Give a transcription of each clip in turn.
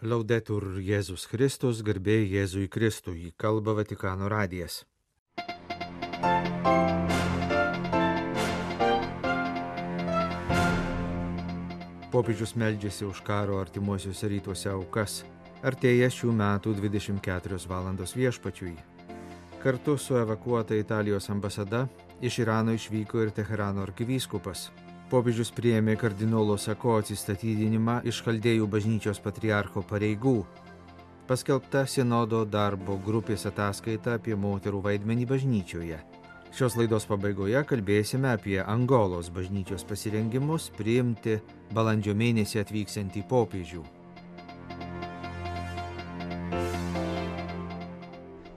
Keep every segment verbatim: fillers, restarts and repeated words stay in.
Laudetur Jėzus Kristus, garbė Jėzui Kristui, kalba Vatikano radijas. Popiežius meldžiasi už karo artimuosiuose rytuose aukas. Artėja šių metų dvidešimt keturios valandos viešpačiui. Kartu su evakuota Italijos ambasada iš Irano išvyko ir Teherano arkivyskupas. Popiežius priėmė kardinolo Sako atsistatydinimą iš Chaldėjų bažnyčios patriarcho pareigų. Paskelbta sinodo darbo grupės ataskaita apie moterų vaidmenį bažnyčioje. Šios laidos pabaigoje kalbėsime apie Angolos bažnyčios pasirengimus priimti balandžio mėnesį atvyksiantį popiežių.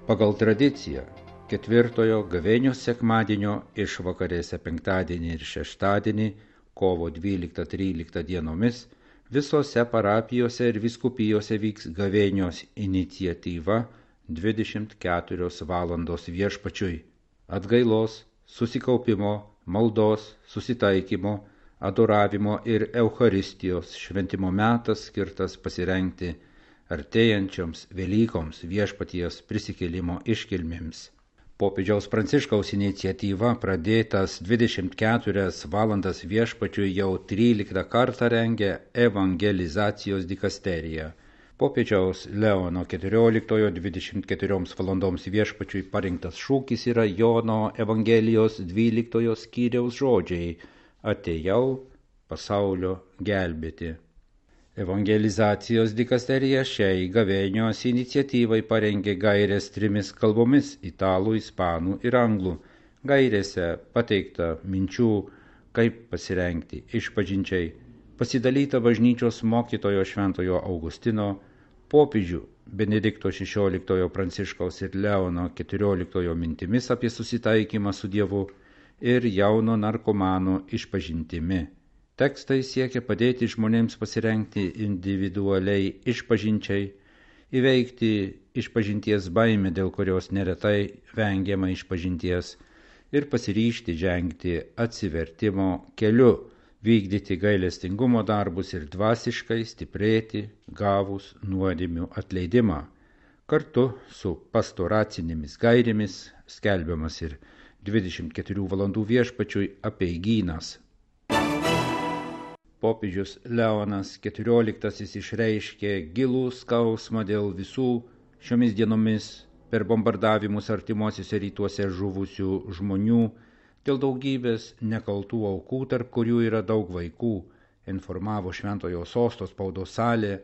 Pagal tradiciją, ketvirtojo gavėnios sekmadienio išvakarėse penktadienį ir šeštadienį, kovo dvyliktą tryliktą dienomis, visose parapijose ir vyskupijose vyks gavėnios iniciatyva dvidešimt keturios valandos viešpačiui. Atgailos, susikaupimo, maldos, susitaikymo, adoravimo ir Eucharistijos šventimo metas skirtas pasirengti artėjančioms Velykoms viešpaties prisikėlimo iškilmėms. Popiežiaus Pranciškaus iniciatyva pradėtas dvidešimt keturias valandas viešpačiui jau tryliktą kartą rengia evangelizacijos dikasterija. Popiežiaus Leono keturioliktojo dvidešimt keturioms valandoms viešpačiui parinktas šūkis yra Jono Evangelijos dvyliktojo skyriaus žodžiai: atėjau pasaulio gelbėti. Evangelizacijos dikasterija šiai gavėnios iniciatyvai parengė gairės trimis kalbomis – italų, ispanų ir anglų. Gairėse pateikta minčių, kaip pasirengti išpažinčiai, pasidalyta bažnyčios mokytojo šventojo Augustino, popiežių Benedikto šešioliktojo Pranciškaus ir Leono keturioliktojo mintimis apie susitaikymą su Dievu ir jauno narkomano išpažintimi. Tekstai siekia padėti žmonėms pasirengti individualiai išpažinčiai, įveikti išpažinties baimę, dėl kurios neretai vengiama išpažinties, ir pasiryžti žengti atsivertimo keliu, vykdyti gailestingumo darbus ir dvasiškai stiprėti, gavus nuodėmių atleidimą. Kartu su pastoracinėmis gairėmis skelbiamas ir dvidešimt keturių valandų viešpačiui apeigynas. Popiežius Leonas keturioliktasis išreiškė gilų skausmą dėl visų šiomis dienomis per bombardavimus artimuosiuose rytuose žuvusių žmonių, dėl daugybės nekaltų aukų, tarp kurių yra daug vaikų, informavo Šventojo Sosto spaudos salė.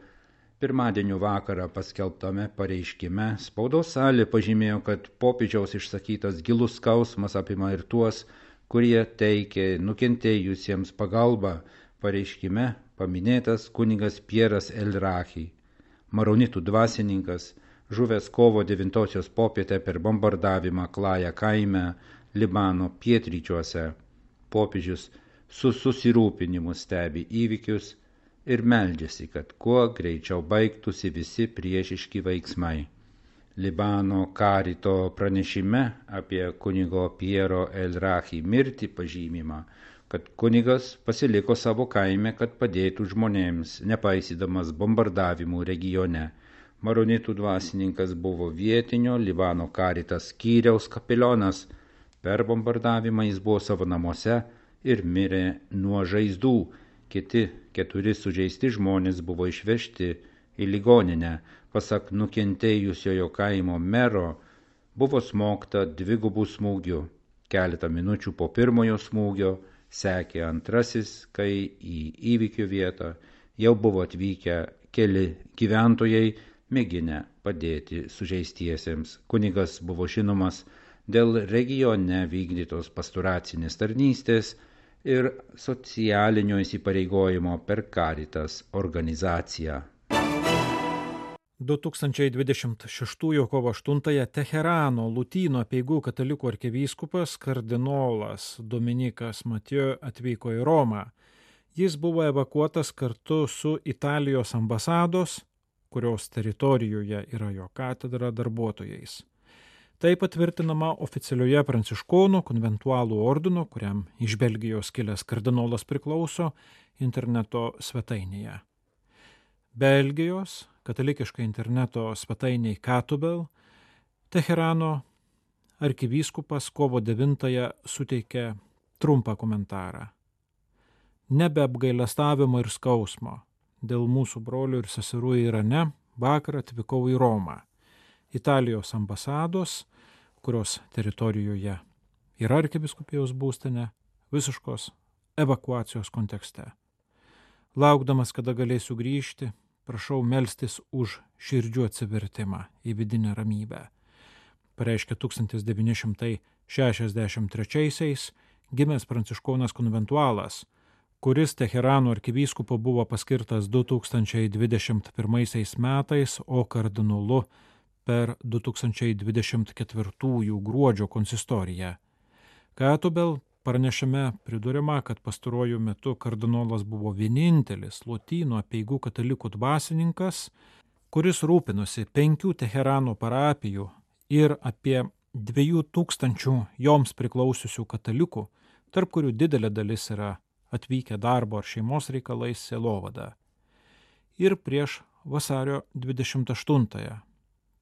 Pirmadienio vakarą paskelbtame pareiškime spaudos salė pažymėjo, kad popiežiaus išsakytas gilus skausmas apima ir tuos, kurie teikė nukentėjusiems pagalbą. Pareiškime paminėtas kunigas Pieras El-Rahi, maronitų dvasininkas, žuvęs kovo devintosios popietę per bombardavimą Klaja kaime Libano pietryčiuose. Popiežius su susirūpinimu stebi įvykius ir meldžiasi, kad kuo greičiau baigtųsi visi priešiški veiksmai. Libano karito pranešime apie kunigo Piero El-Rahi mirtį pažymima, kad kunigas pasiliko savo kaime, kad padėtų žmonėms, nepaisydamas bombardavimų regione. Maronitų dvasininkas buvo vietinio Libano karitas skyriaus kapelionas. Per bombardavimą jis buvo savo namuose ir mirė nuo žaizdų. Kiti keturi sužeisti žmonės buvo išvežti į ligoninę. Pasak nukentėjusiojo kaimo mero, buvo smogta dvigubų smūgių. Keletą minučių po pirmojo smūgio sekė antrasis, kai į įvykio vietą jau buvo atvykę keli gyventojai, mėginę padėti sužeistiesiems. Kunigas buvo žinomas dėl regione vykdytos pastoracinės tarnystės ir socialinio įsipareigojimo per Caritas organizaciją. du tūkstančiai dvidešimt šeštųjų kovo aštuntąją Teherano Lūtyno apeigų katalikų arkivyskupas kardinolas Dominikas Mathieu atvyko į Romą. Jis buvo evakuotas kartu su Italijos ambasados, kurios teritorijoje yra jo katedra, darbuotojais. Tai patvirtinama oficialioje pranciškonų konventualų ordino, kuriam iš Belgijos kilęs kardinolas priklauso, interneto svetainėje. Belgijos katalikiškai interneto svetainiai Katubel, Teherano arkivyskupas kovo devintąją suteikė trumpą komentarą. Nebe apgailestavimo ir skausmo. Dėl mūsų brolių ir seserų Irane vakar atvykau į Romą, Italijos ambasados, kurios teritorijoje yra arkivyskupijos būstinė, visiškos evakuacijos kontekste. Laukdamas, kada galėsiu grįžti, prašau melstis už širdžių atsivertimą į vidinę ramybę. Pareiškė tūkstantis devyni šimtai šešiasdešimt trečiaisiais gimęs pranciškonas konventualas, kuris Teherano arkivyskupu buvo paskirtas du tūkstančiai dvidešimt pirmaisiais metais, o kardinolu per du tūkstančiai dvidešimt ketvirtųjų gruodžio konsistoriją. Katubel pranešime priduriama, kad pastaruoju metu kardinolas buvo vienintelis Lotynų apeigų katalikų dvasininkas, kuris rūpinosi penkių Teherano parapijų ir apie dviejų tūkstančių joms priklausiusių katalikų, tarp kurių didelė dalis yra atvykę darbo ar šeimos reikalais sielovada. Ir prieš vasario dvidešimt aštuntąją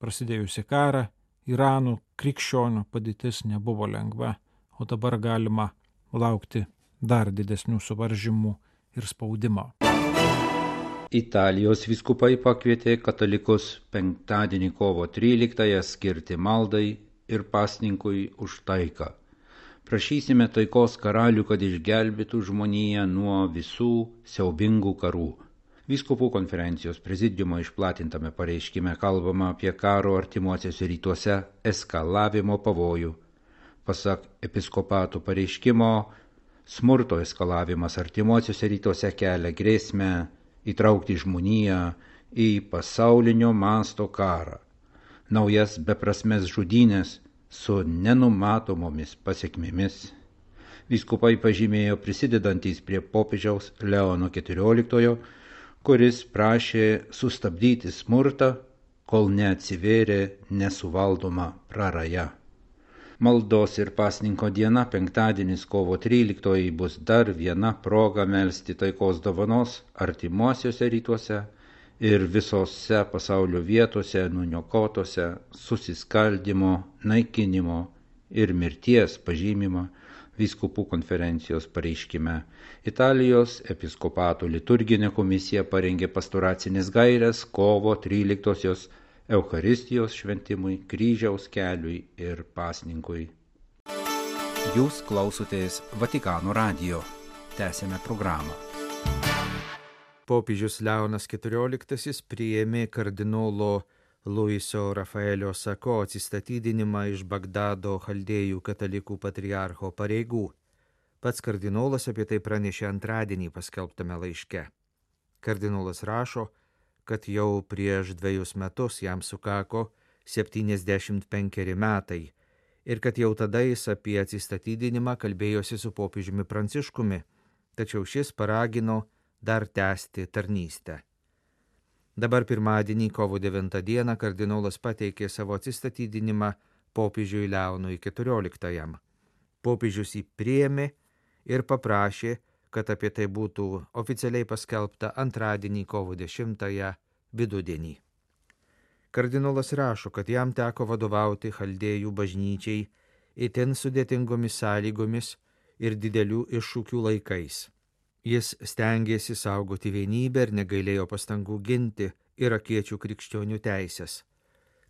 prasidėjusi karą, Irano krikščionių padėtis nebuvo lengva, o dabar galima laukti dar didesnių suvaržymų ir spaudimo. Italijos vyskupai pakvietė katalikus penktadienį kovo tryliktąją skirti maldai ir pasninkui už taiką. Prašysime taikos karalių, kad išgelbėtų žmoniją nuo visų siaubingų karų. Vyskupų konferencijos prezidiumo išplatintame pareiškime kalbama apie karo artimuosiuose rytuose eskalavimo pavojų. Pasak episkopatų pareiškimo, smurto eskalavimas artimuosiuose rytuose kelia grėsmę įtraukti žmoniją į pasaulinio masto karą, naujas beprasmes žudynės su nenumatomomis pasekmėmis. Vyskupai pažymėjo prisidedantys prie popiežiaus Leono keturioliktojo, kuris prašė sustabdyti smurtą, kol neatsivėrė nesuvaldoma praraja. Maldos ir pasninko diena, penktadienis kovo tryliktoji, bus dar viena proga melsti taikos dovanos artimuosiuose rytuose ir visose pasaulio vietose nuniokotose susiskaldymo, naikinimo ir mirties pažymimą vyskupų konferencijos pareiškime. Italijos episkopatų liturginė komisija parengė pastoracinės gaires kovo tryliktosios Eucharistijos šventimui, kryžiaus keliui ir pasninkui. Jūs klausotės Vatikano radijo. Tęsėme programą. Popiežius Leonas keturioliktasis priėmė kardinolo Luiso Rafaelio Sako atsistatydinimą iš Bagdado chaldėjų katalikų patriarcho pareigų. Pats kardinolas apie tai pranešė antradienį paskelbtame laiške. Kardinolas rašo, kad jau prieš dviejus metus jam sukako septyniasdešimt penkeri metai ir kad jau tada jis apie atsistatydinimą kalbėjosi su popiežiumi Pranciškumi, tačiau šis paragino dar tęsti tarnystę. Dabar pirmadienį, kovo devintą dieną, kardinolas pateikė savo atsistatydinimą popiežiui Leonui keturioliktajam. Popiežius jį priėmė ir paprašė, kad apie tai būtų oficialiai paskelbta antradienį, kovo dešimtąją vidudienį. Kardinolas rašo, kad jam teko vadovauti chaldėjų bažnyčiai itin sudėtingomis sąlygomis ir didelių iššūkių laikais. Jis stengėsi saugoti vienybę ir negailėjo pastangų ginti irakiečių krikščionių teisės.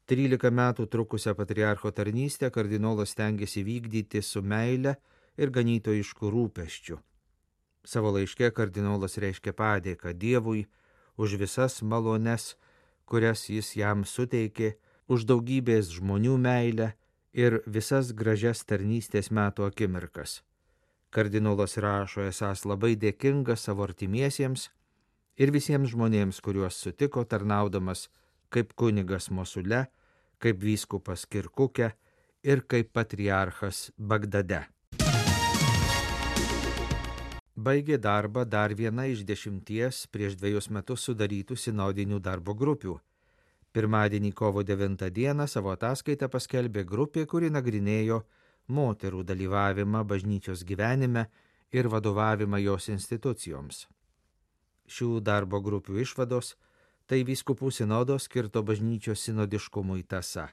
Trylika metų trukusią patriarcho tarnystę kardinolas stengėsi vykdyti su meile ir ganytojišku rūpesčiu. Savo laiške kardinolas reiškia padėką Dievui už visas malones, kurias jis jam suteikė, už daugybės žmonių meilę ir visas gražias tarnystės metų akimirkas. Kardinolas rašo esąs labai dėkingas savo artimiesiems ir visiems žmonėms, kuriuos sutiko tarnaudamas kaip kunigas Mosule, kaip vyskupas Kirkuke ir kaip patriarchas Bagdade. Baigė darbą dar viena iš dešimties prieš dviejus metus sudarytų sinodinių darbo grupių. Pirmadienį kovo devintą dieną savo ataskaitą paskelbė grupė, kuri nagrinėjo moterų dalyvavimą bažnyčios gyvenime ir vadovavimą jos institucijoms. Šių darbo grupių išvados Tai vyskupų sinodo skirto bažnyčios sinodiškumui tąsa.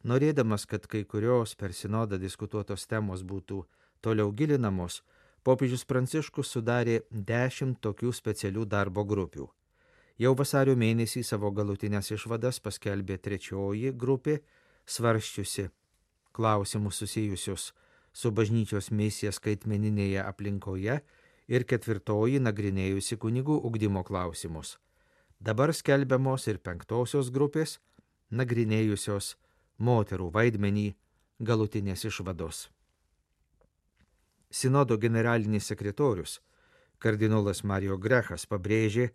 Norėdamas, kad kai kurios per sinodą diskutuotos temos būtų toliau gilinamos, popiežius Pranciškus sudarė dešimt tokių specialių darbo grupių. Jau vasario mėnesį savo galutinės išvadas paskelbė trečioji grupė, svarsčiusi klausimus susijusius su bažnyčios misija skaitmeninėje aplinkoje ir ketvirtoji nagrinėjusi kunigų ugdymo klausimus. Dabar skelbiamos ir penktosios grupės, nagrinėjusios moterų vaidmenį galutinės išvados. Sinodo generalinis sekretorius, kardinolas Mario Grechas, pabrėžė,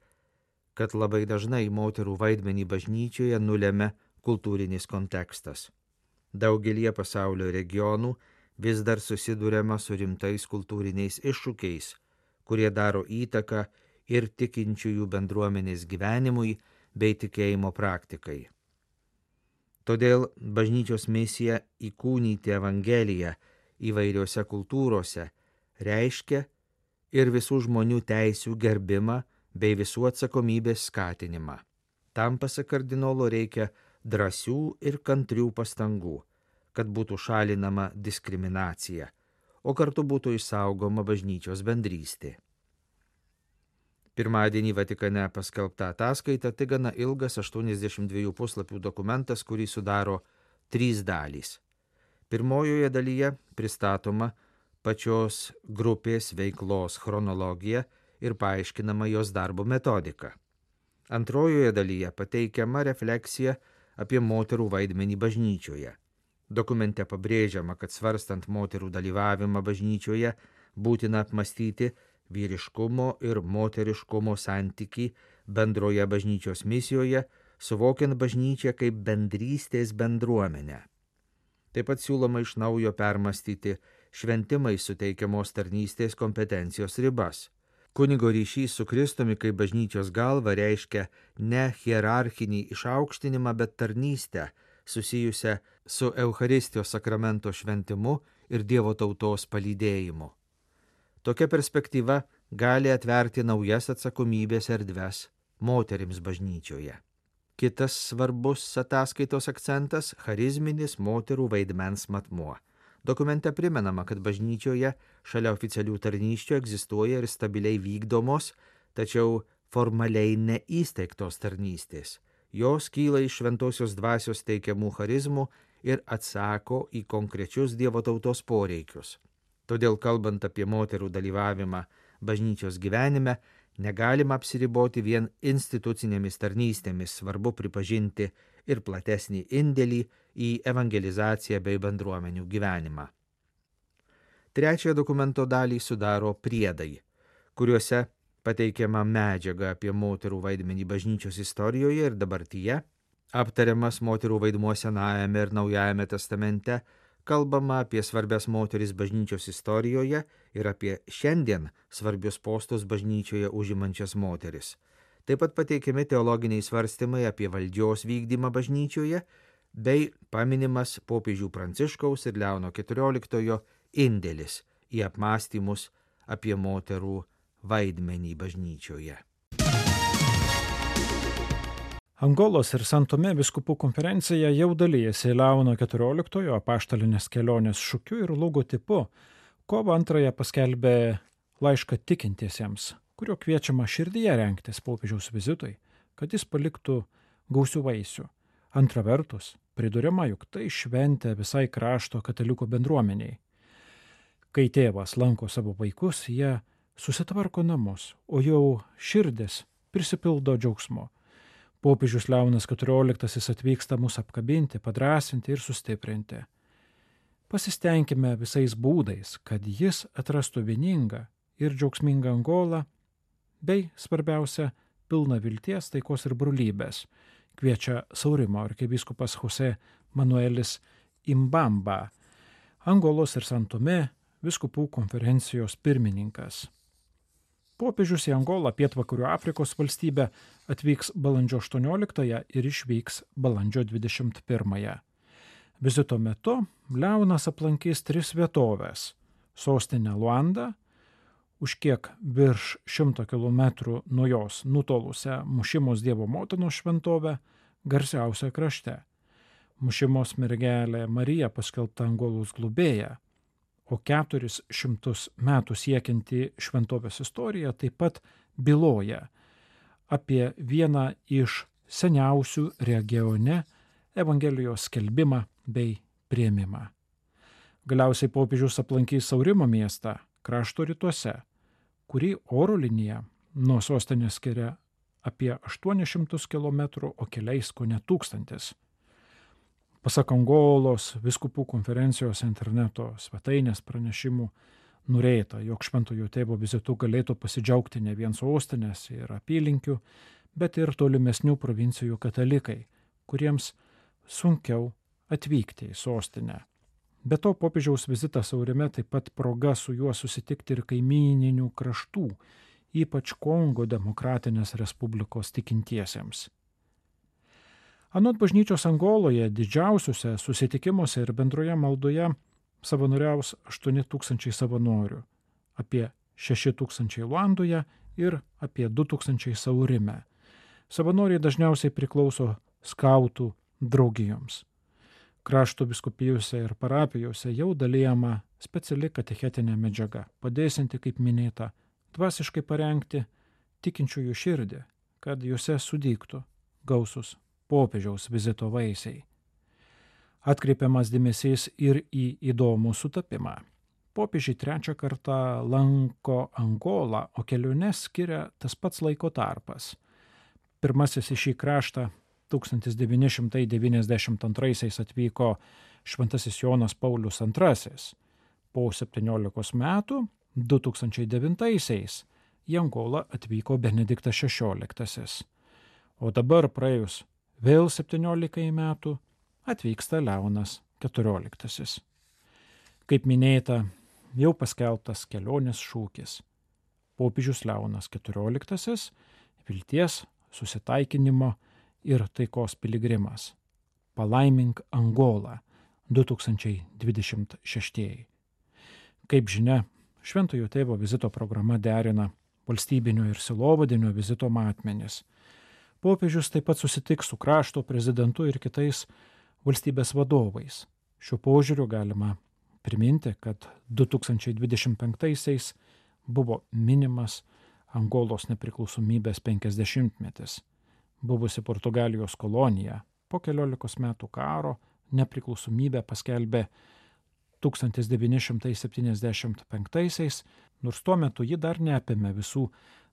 kad labai dažnai moterų vaidmenį bažnyčioje nulemia kultūrinis kontekstas. Daugelie pasaulio regionų vis dar susiduriama su rimtais kultūriniais iššūkiais, kurie daro įtaką ir tikinčiųjų bendruomenės gyvenimui bei tikėjimo praktikai. Todėl bažnyčios misija įkūnyti Evangeliją įvairiose kultūrose reiškia ir visų žmonių teisių gerbimą bei visų atsakomybės skatinimą. Tam, pasak kardinolo, reikia drąsių ir kantrių pastangų, kad būtų šalinama diskriminacija, o kartu būtų išsaugoma bažnyčios bendrystė. Pirmadienį Vatikane paskelbta ataskaita tai gana ilgas aštuoniasdešimt dviejų puslapių dokumentas, kurį sudaro trys dalys. Pirmojoje dalyje pristatoma pačios grupės veiklos chronologija ir paaiškinama jos darbo metodika. Antrojoje dalyje pateikiama refleksija apie moterų vaidmenį bažnyčioje. Dokumente pabrėžiama, kad svarstant moterų dalyvavimą bažnyčioje būtina apmastyti vyriškumo ir moteriškumo santykį bendroje bažnyčios misijoje, suvokiant bažnyčią kaip bendrystės bendruomenę. Taip pat siūloma iš naujo permastyti šventimai suteikiamos tarnystės kompetencijos ribas. Kunigo ryšys su Kristumi kaip bažnyčios galva reiškia ne hierarchinį išaukštinimą, bet tarnystę, susijusią su Eucharistijos sakramento šventimu ir Dievo tautos palydėjimu. Tokia perspektyva gali atverti naujas atsakomybės erdves moterims bažnyčioje. Kitas svarbus ataskaitos akcentas – charizminis moterų vaidmens matmuo. Dokumente primenama, kad bažnyčioje šalia oficialių tarnysčių egzistuoja ir stabiliai vykdomos, tačiau formaliai neįsteigtos tarnystės. Jos kyla iš šventosios dvasios teikiamų charizmų ir atsako į konkrečius Dievo tautos poreikius. Todėl, kalbant apie moterų dalyvavimą bažnyčios gyvenime, negalima apsiriboti vien institucinėmis tarnystėmis, svarbu pripažinti ir platesnį indėlį į evangelizaciją bei bendruomenių gyvenimą. Trečiąją dokumento dalį sudaro priedai, kuriuose pateikiama medžiaga apie moterų vaidmenį bažnyčios istorijoje ir dabartyje, aptariamas moterų vaidmuo Senajame ir Naujajame testamente, kalbama apie svarbias moteris bažnyčios istorijoje ir apie šiandien svarbius postus bažnyčioje užimančias moteris. Taip pat pateikiami teologiniai svarstymai apie valdžios vykdymą bažnyčioje bei paminimas popiežių Pranciškaus ir Leono keturioliktojo indėlis į apmąstymus apie moterų vaidmenį bažnyčioje. Angolos ir San Tomė vyskupų konferencija jau dalyjasi Leono keturioliktojo apaštalinės kelionės šūkiu ir logotipu. Kovo antrąją paskelbė laišką tikintiesiems, kurio kviečiama širdyje rengtis popiežiaus vizitui, kad jis paliktų gausių vaisių. Antra vertus, priduriama, juk tai šventė visai krašto katalikų bendruomeniai. Kai tėvas lanko savo vaikus, jie susitvarko namus, o jau širdis prisipildo džiaugsmo. Popiežius Leonas keturioliktasis atvyksta mus apkabinti, padrasinti ir sustiprinti. Pasistengime visais būdais, kad jis atrastų vieningą ir džiaugsmingą Angolą, bei, svarbiausia, pilną vilties, taikos ir brolybės, kviečia Saurimo arkivyskupas Jose Manuelis Imbamba, Angolos ir San Tomė vyskupų konferencijos pirmininkas. Popiežius į Angolą, pietvakarių Afrikos valstybę, atvyks balandžio aštuonioliktąją ir išvyks balandžio dvidešimt pirmąją. Vizito metu Leonas aplankys tris vietovės – sostinę Luandą, už kiek virš šimto kilometrų nuo jos nutolusią Mušimos Dievo motinos šventovę, garsiausią krašte. Mušimos mergelė Marija paskelbta Angolos globėja, o keturis šimtus metų siekianti šventovės istorija taip pat byloja apie vieną iš seniausių regione Evangelijos skelbimą bei priėmimą. Galiausiai popiežius aplankys Saurimo miestą krašto rytuose, kurį oro linija nuo sostinės skiria apie aštuonis šimtus kilometrų, o keliais kone tūkstantis. Pasak Angolos vyskupų konferencijos interneto svetainės pranešimų norėta, jog Šventojo Tėvo vizitu galėtų pasidžiaugti ne vien sostinės ir apylinkių, bet ir tolimesnių provincijų katalikai, kuriems sunkiau atvykti į sostinę. Be to, popiežiaus vizitas Saurime taip pat proga su juo susitikti ir kaimyninių kraštų, ypač Kongo Demokratinės Respublikos tikintiesiems. Anot bažnyčios Angoloje didžiausiuose susitikimuose ir bendroje maldoje savanoriaus aštuoni tūkstančiai savanorių, apie šeši tūkstančiai Luandoje ir apie du tūkstančiai Saurime. Savanoriai dažniausiai priklauso skautų draugijoms. Krašto vyskupijose ir parapijose jau dalijama speciali katechetinė medžiaga, padėsinti, kaip minėta, dvasiškai parengti tikinčiųjų širdį, kad juose sudygtų gausus popiežiaus vizito vaisiai. Atkreipiamas dėmesys ir į įdomų sutapimą. Popiežiai trečią kartą lanko Angolą, o keliones skiria tas pats laiko tarpas. Pirmasis į šį kraštą tūkstantis devyni šimtai devyniasdešimt antraisiais atvyko Šventasis Jonas Paulius antrasis. Po septyniolikos metų, du tūkstančiai devintaisiais, į Angolą atvyko Benediktas šešioliktasis. O dabar praėjus vėl septyniolikai metų atvyksta Leonas keturioliktasis. Kaip minėta, jau paskelbtas kelionės šūkis. Popiežius Leonas keturioliktasis – vilties, susitaikinimo ir taikos piligrimas. Palaimink Angolą du tūkstančiai dvidešimt šeštieji. Kaip žinia, Šventojo Tėvo vizito programa derina valstybinio ir silovadinio vizito matmenis. Popiežius taip pat susitiks su krašto prezidentu ir kitais valstybės vadovais. Šiuo požiūriu galima priminti, kad du tūkstančiai dvidešimt penktaisiais buvo minimas Angolos nepriklausomybės penkiasdešimtmetis. Buvusi Portugalijos kolonija po keliolikos metų karo nepriklausomybę paskelbė tūkstantis devyni šimtai septyniasdešimt penktaisiais, nors tuo metu ji dar neapėmė visų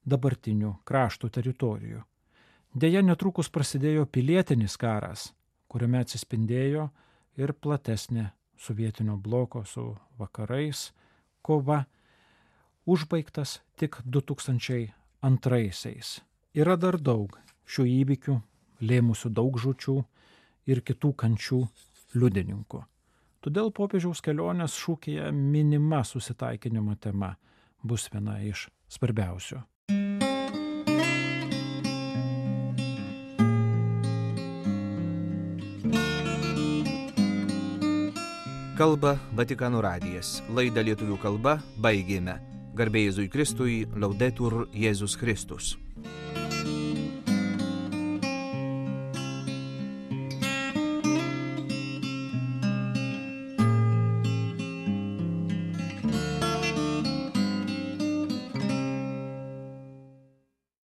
dabartinių krašto teritorijų. Deja, netrukus prasidėjo pilietinis karas, kuriame atsispindėjo ir platesnė sovietinio bloko su vakarais kova, užbaigtas tik du tūkstančiai antraisiais. Yra dar daug šių įvykių, lėmusių daug žūčių ir kitų kančių liudininkų. Todėl popiežiaus kelionės šūkyje minima susitaikinimo tema bus viena iš svarbiausių. Kalba Vatikano radijas. Laidą lietuvių kalba baigėme. Garbė Jėzui Kristui, Laudetur Jėzus Kristus.